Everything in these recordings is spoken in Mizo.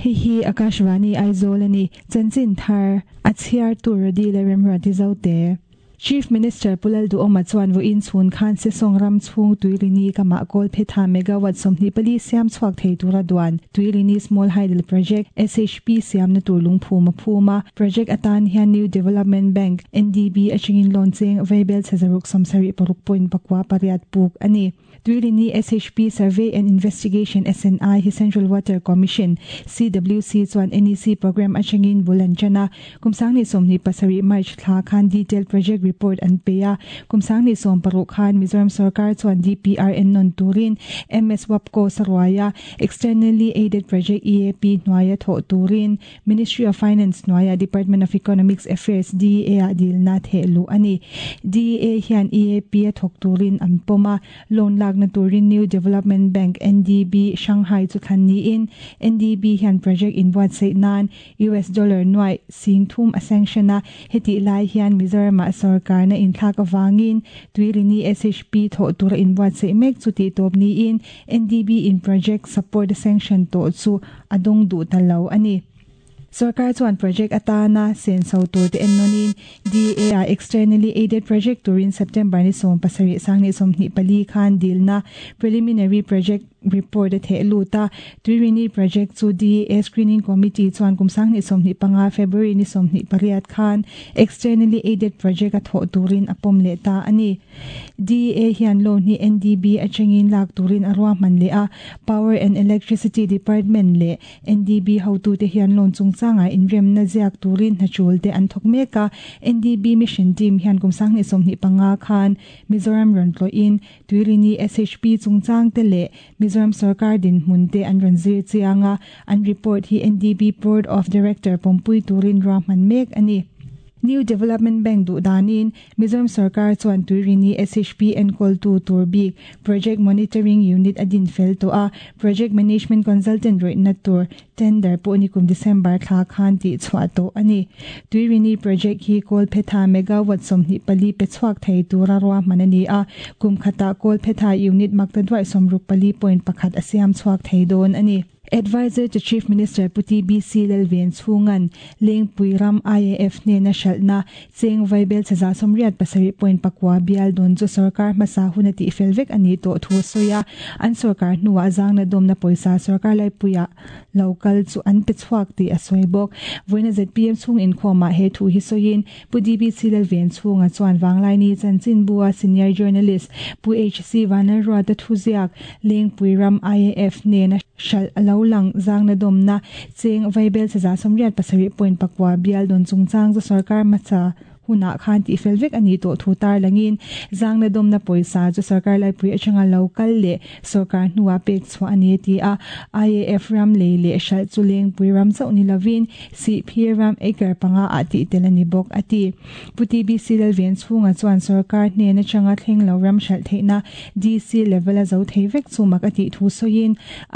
Hei hi Akashvani Aizawl a ni. Chanchin thar a chhiartu Rody leh Remruati Zote. Chief Minister Pu Lalduhawma chuan vawiin chhun khan Sesawng ram chhung Tuilini kamah Kawlphetha megawatt 24 siam chhuak thei tura duan Tuilini Small Hydel Project, SHP, siamna tur lungphum a phum a. Project atan hian New Development Bank, NDB, atangin loan cheng vaibel chhe zaruk 76 point pakua pariat puk a ni. Tuilini SHP Survey and Investigation, SNI, hi Central Water Commission, CWC, chuan NEC programme atangin bul an tan a. Kum 2017 March thla khan detailed project report an pe a. Kum 2016 khan Mizoram sorkar chuan DPR en nawn turin MS Wapco saruaia Externally Aided Project, EAP, hnuaia thawh turin Ministry of Finance hnuaia Department of Economics Affairs, DEA, ah dilna theh luh a ni. DEA hian EAP a thawk turin an pawm a, loan lakna turin New Development Bank, NDB, Shanghai chu thlan niin NDB hian project inbuatsaih nan US dollar nuaih sing thum a sanction a, hetih lai hian Mizoramah sorkarna inthlak avangin Tuilini SHP thawh tura inbuatsaih mek chu tihtawp niin NDB in project support a sanction tawh chu a dawng duh ta lo a ni. Sorkar chuan project atana senso tur te ennawnin DA-ah externally aided project turin September ni 17 2024 khan dilna preliminary project report a theh lut a. Tuirini project chu DA screening committee chuan kum 2025 February ni 28 khan externally aided project a thawh turin a pawm leh ta a ni. DEA hian loan hi NDB atangin lak turin a ruahman leh a, Power and Electricity Department leh NDB hotute hian loan chungchangah inremna ziak turin hnatul te an thawk mek a. NDB mission team hian kum 2025 khan Mizoram rawn tlawhin Tuirini SHP chungchang te leh Mizoram sorkar dinhmun te an rawn zir chiang a, an report hi NDB Board of Director pawmpui turin ruahman mek a ni. New Development Bank duh danin Mizoram sorkar chuan Tuirini SHP enkawltu tur bik Project Monitoring Unit a din fel tawh a, Project Management Consultant rawihna tur tender pawh nikum December thla khan tih chhuah tawh a ni. Tuirini project hi Kawlphetha megawatt 24 pe chhuak thei tura ruahman a ni a, kum khatah Kawlphetha unit makta duaih 64.1 a siam chhuak thei dawn a ni. Adviser to Chief Minister Pu TBC Lalven chhungan Lengpui ram IAF hnena hralhna cheng vaibel chhe 87.9 bial dawn chu sorkar hmasa hun a tihfel vek a nih tawh thu a sawi a. An sorkar hnuah zangna dawmna pawisa sorkar laipuiah lo kal chu an pe chhuak tih a sawi bawk. Vawiina zpm chhung inkhawmah he thu hi sawiin Pu DBC Lalven chhunga chuan Vanglaini chanchinbua senior journalist Pu HC Vanlalruata thuziak Lengpui ram IAF nena hralh a lo lang zangna dawmna cheng vaibel chhe 87.9 bial dawn chungchang chu sorkar hmasa hunah khan tihfel vek a nih tawh thu tarlangin zangna dawmna pawisa chu sorkar laipui atanga lo kal leh sorkar hnuah pek chhuah a ni a ti a. IAF ram lei leh hralh chu Lengpui ram chauh ni lovin Sihphir ram acre panga ah tih tel a ni bawk, a ti. Pu TBC Lalven chhunga chuan sorkar hnen atanga thleng lo ram hralh theihna DC level a zo thei vek chu mak a tih thu sawiin,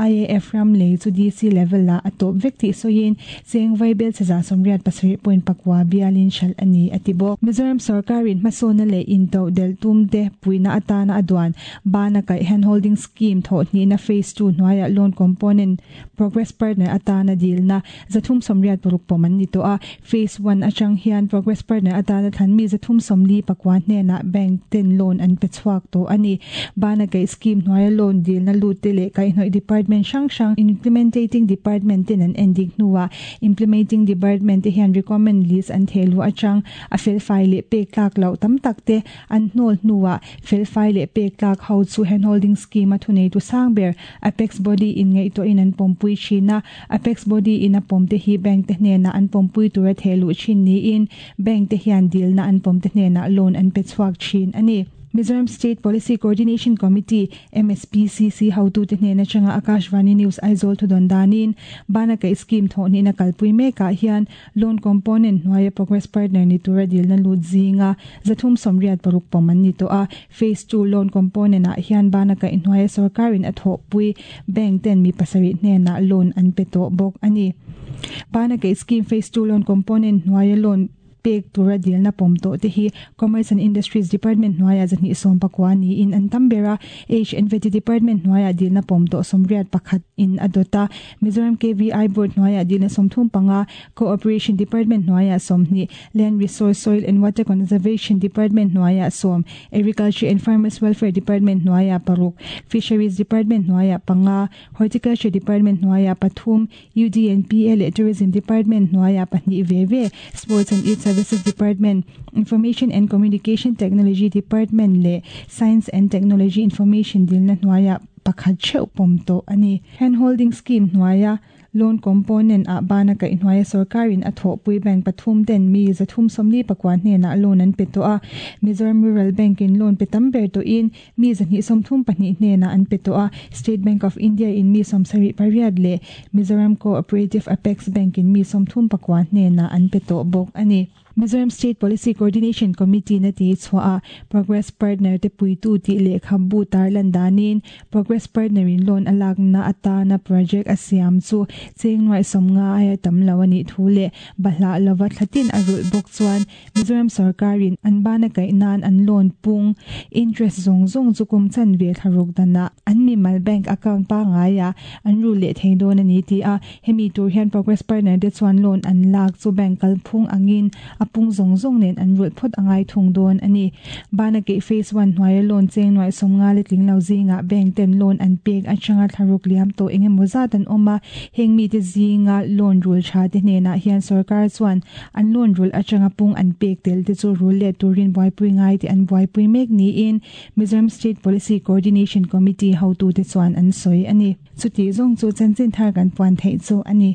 IAF ram lei chu DC level ah a tawp vek tih sawiin, cheng vaibel chhe 87.9 bialin hralh a ni, a ti bawk. Mizoram sorkarin hmasawnna leh intoh delh tum te puihna atana a duan bana kaih handholding scheme thawh hnihna phase 2 hnuaiah loan component progress partner atana dilna 386 pawm an ni tawh a, Phase One atang hian Progress Partner atana thlan mi 349 hnenah bank ten loan an pe chhuak tawh a ni. Bana kaih scheme hnuaia loan dilna lut te leh kaihhnawih department hrang hrang Implementating Department ten an endik hnuah Implementing Department te hian recommend list an theh luh atang a felfai leh pek tlak loh tam tak te an hnawl hnuah felfai leh pek tlak ho chu handholding scheme a thuneitu sang ber Apex Body in ngaihtuahin an pawmpui thin a. Apex Body in a pawm te hi bank te hnenah an pawmpui tura theh luh thin niin bank te hian dilna an pawm te hnenah loan an pe chhuak thin a ni. Mizoram State Policy Coordination Committee, MSPCC, hotute hnen atanga Akashvani News Aizawl thudawn danin Bana Kaih Scheme thawhhnihna kalpui mekah hian Loan component hnuaia progress partner ni tura dilna lut zinga 386 pawm an ni tawh a. Phase 2 loan component ah hian bana kaih hnuaia sorkarin a thawhpui bank ten mi pasarih hnenah loan an pe tawh bawk a ni. Bana kaih scheme phase 2 loan component hnuaia loan pek tura dilna pawm tawh te hi Commerce and Industries Department hnuaiah 219 niin an tam ber a, HNVT Department hnuaiah dilna pawm tawh 81 in a dawt a, Mizoram KVI Board hnuaiah dilna 35, Cooperation Department hnuaiah 20, Land Resource, Soil and Water Conservation Department hnuaiah sawm, Agriculture and Farmers Welfare Department hnuaiah paruk, Fisheries Department hnuaiah panga, Horticulture Department hnuaiah pathum, UDNPA leh Tourism Department hnuaiah pahnih ve ve, Sports and Youth Services Department, Information and Communication Technology Department leh Science and Technology Information dilna hnuaiah pakhat theuh pawm tawh a ni. Hand Holding Scheme hnuaia Loan component ah bana kaihhnuaia sorkarin a thawhpui bank pathum ten mi 349 hnenah loan an pe tawh a. Mizoram Rural Bank in loan pe tam ber tawhin mi 234 hnenah an pe tawh a. State Bank of India in mi 78 leh Mizoram Co-operative Apex Bank in mi 39 hnenah an pe tawh bawk a ni. Mizoram State Policy Coordination Committee na ti chhuah a, Progress Partner te puitu tih lehkhabu tarlan danin Progress Partner in loan a lakna atana project a siam chu cheng nuaih 50 aia tam lo a nih thu leh bahlah lova thlatin a rulh bawk chuan Mizoram sorkarin an bana kaih nan an loan pung interest zawng zawng chu kum chanve thlaruk danah an mimal bank account pangaiah an rul leh thei dawn a ni ti a, hemi tur hian Progress Partner te chuan loan an lak chu bank kalphung angin a pung zawng zawng nen an rulh phawt a ngai thung dawn a ni. Bana keih Phase One hnuaia loan cheng nuaih 50 le tling lo zingah bank ten loan an pek atanga thlaruk liam tawh eng emaw zat an awm a, heng mite zinga loan rul tha te hnenah hian sorkar chuan an loan rulh atanga pung an pek tel te chu rul let turin buaipui ngai tih an buaipui mek niin Mizoram State Policy Coordination Committee hotute chuan an sawi a ni. Chutih zawng chu chanchin thar kan puan theih chu a ni.